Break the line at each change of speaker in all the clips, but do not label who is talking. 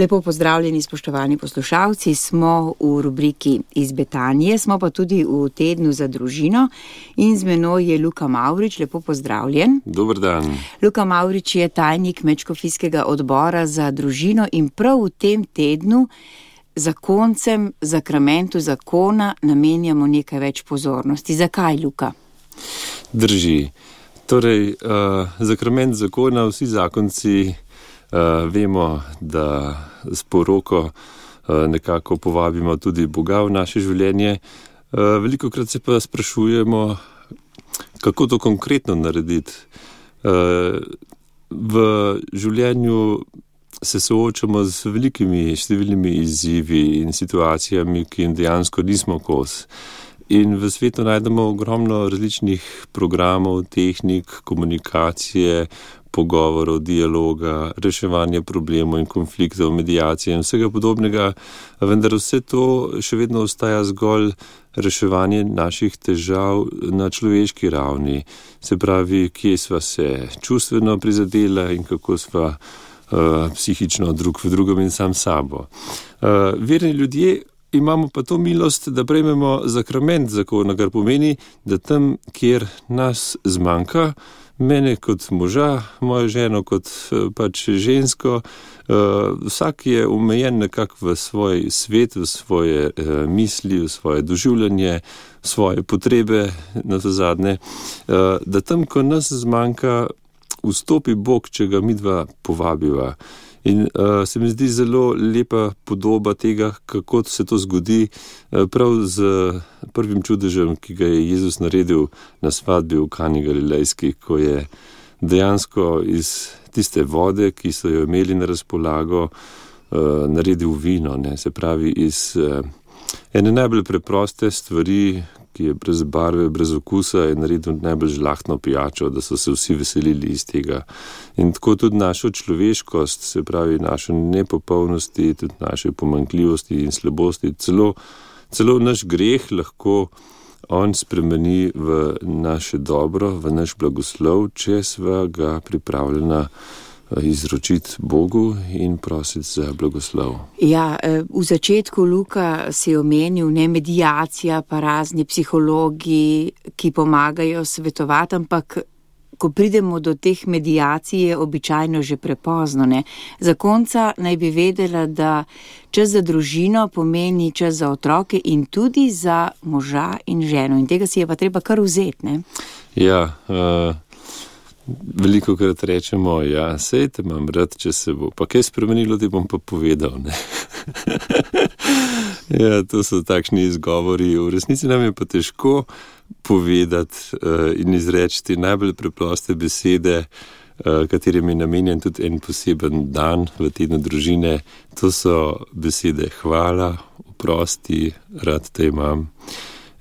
Lepo pozdravljeni, spoštovani poslušalci, smo v rubriki Iz Betanije, smo pa tudi v tednu za družino in z menoj je Luka Mavrič, lepo pozdravljen.
Dober dan.
Luka Mavrič je tajnik Medškofijskega odbora za družino in prav v tem tednu zakoncem, zakramentu zakona namenjamo nekaj več pozornosti. Zakaj, Luka?
Drži. Torej, zakrament zakona, vsi zakonci vemo, da s poroko nekako povabimo tudi Boga v naše življenje. Velikokrat se pa sprašujemo, kako to konkretno narediti. V življenju se soočamo z velikimi številnimi izzivi in situacijami, ki jim dejansko nismo kos. In v svetu najdemo ogromno različnih programov, tehnik, komunikacije, pogovorov, dialoga, reševanja problemov in konfliktov, medijacije in vsega podobnega, vendar vse to še vedno ostaja zgolj reševanje naših težav na človeški ravni. Se pravi, kje sva se čustveno prizadela in kako sva psihično drug v drugem in sam sabo. Verni ljudje imamo pa to milost, da prejmemo zakrament zakona, kar pomeni, da tam, kjer nas zmanjka, mene kot moža, mojo ženo kot pač žensko, vsak je omejen nekako v svoj svet, v svoje misli, v svoje doživljanje, svoje potrebe, na to zadnje, da tam, ko nas zmanjka, vstopi Bog, če ga midva povabiva. In se mi zdi zelo lepa podoba tega, kako se to zgodi prav z prvim čudežem, ki ga je Jezus naredil na svadbi v Kani Galilejski, ko je dejansko iz tiste vode, ki so jo imeli na razpolago, naredil vino. Ne? Se pravi, iz ene najbolj preproste stvari, ki je brez barve, brez okusa, je naredil najbolj žlahtno pijačo, da so se vsi veselili iz tega. In tako tudi našo človeškost, se pravi našo nepopolnosti, tudi naše pomanjkljivosti in slabosti, celo naš greh lahko on spremeni v naše dobro, v naš blagoslov, če sva ga pripravljena izročiti Bogu in prositi za blagoslov.
Ja, v začetku, Luka, si omenil, ne, medijacija, pa razni psihologi, ki pomagajo svetovati, ampak ko pridemo do teh medijacij, je običajno že prepozno, ne. Zakonca naj bi vedela, da čas za družino pomeni čas za otroke in tudi za moža in ženo. In tega si je pa treba kar vzeti, ne.
Ja, velikokrat rečemo, ja, sej te imam rad, če se bo pa kaj spremenilo, ti bom pa povedal, ne. Ja, to so takšni izgovori. V resnici nam je pa težko povedati in izreči najbolj preproste besede, katerim je namenjen tudi en poseben dan v tednu družine. To so besede hvala, oprosti, rad te imam.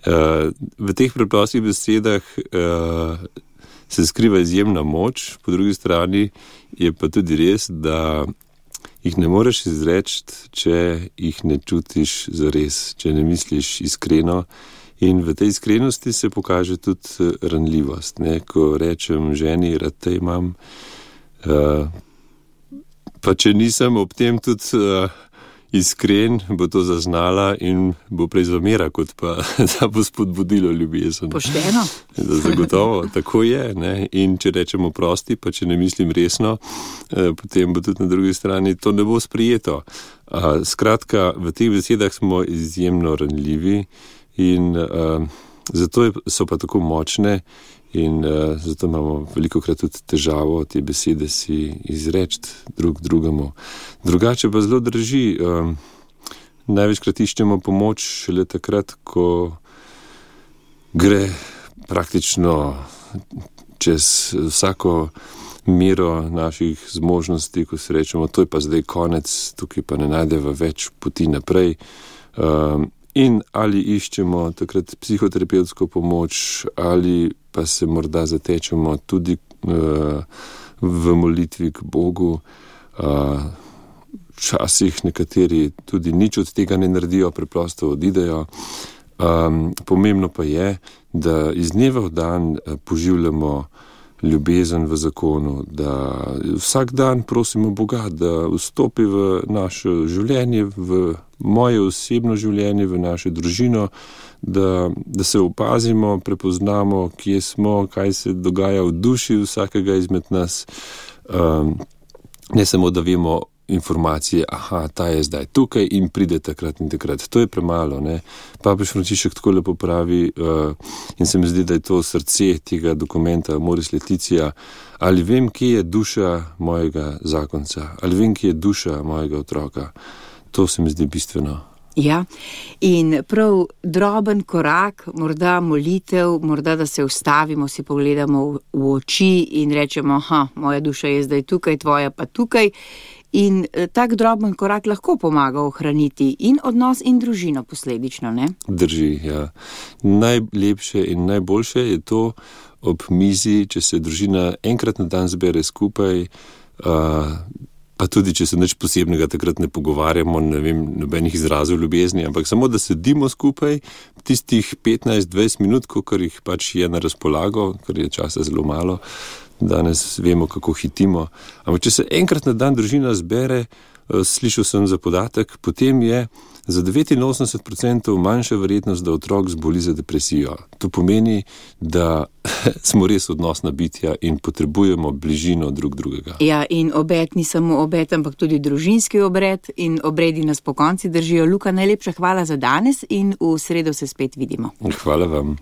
V teh preprostih besedah se skriva izjemna moč, po drugi strani je pa tudi res, da jih ne moreš izreči, če jih ne čutiš zares, če ne misliš iskreno. In v tej iskrenosti se pokaže tudi ranljivost. Ne? Ko rečem ženi, rad te imam, pa če nisem ob tem tudi iskren, bo to zaznala in bo prej zamera, kot pa da bo spodbudilo ljubezen.
Pošteno.
Zagotovo, tako je. Ne? In če rečemo prosti, pa če ne mislim resno, potem bo tudi na drugi strani to ne bo sprijeto. Skratka, v teh besedah smo izjemno ranljivi in zato so pa tako močne in zato imamo velikokrat tudi težavo te besede si izreči drug drugemu. Drugače pa zelo drži, največkrat iščemo pomoč šele takrat, ko gre praktično čez vsako mero naših zmožnosti, ko se rečemo, to je pa zdaj konec, tukaj pa ne najdeva več poti naprej. In ali iščemo takrat psihoterapevtsko pomoč, ali pa se morda zatečemo tudi v molitvi k Bogu. Včasih nekateri tudi nič od tega ne naredijo, preprosto odidejo. Pomembno pa je, da iz dneva v dan poživljamo ljubezen v zakonu, da vsak dan prosimo Boga, da vstopi v naše življenje, v moje osebno življenje, v našo družino, da se opazimo, prepoznamo, kje smo, kaj se dogaja v duši vsakega izmed nas. Ne samo, da vemo informacije, ta je zdaj tukaj in pride takrat in takrat. To je premalo, ne. Papež Frančišek tako lepo pravi, in se mi zdi, da je to srce tega dokumenta Amoris Laetitia, ali vem, kje je duša mojega zakonca, ali vem, kje je duša mojega otroka. To se mi zdi bistveno.
Ja, in prav droben korak, morda molitev, morda da se ustavimo, si pogledamo v oči in rečemo, moja duša je zdaj tukaj, tvoja pa tukaj. In tak droben korak lahko pomaga ohraniti in odnos in družino posledično, ne?
Drži, ja. Najlepše in najboljše je to ob mizi, če se družina enkrat na dan zbere skupaj, pa tudi, če se nič posebnega takrat ne pogovarjamo, ne vem, nobenih izrazov ljubezni, ampak samo, da sedimo skupaj tistih 15-20 minut, kolikor jih pač je na razpolago, ker je časa zelo malo, danes vemo, kako hitimo. Ampak če se enkrat na dan družina zbere, slišal sem za podatek, potem je za 89% manjša verjetnost, da otrok zboli za depresijo. To pomeni, da smo res odnosna bitja in potrebujemo bližino drug drugega.
Ja, in obed ni samo obed, ampak tudi družinski obred in obredi nas pokonci držijo. Luka, najlepša hvala za danes in v sredo se spet vidimo.
Hvala vam.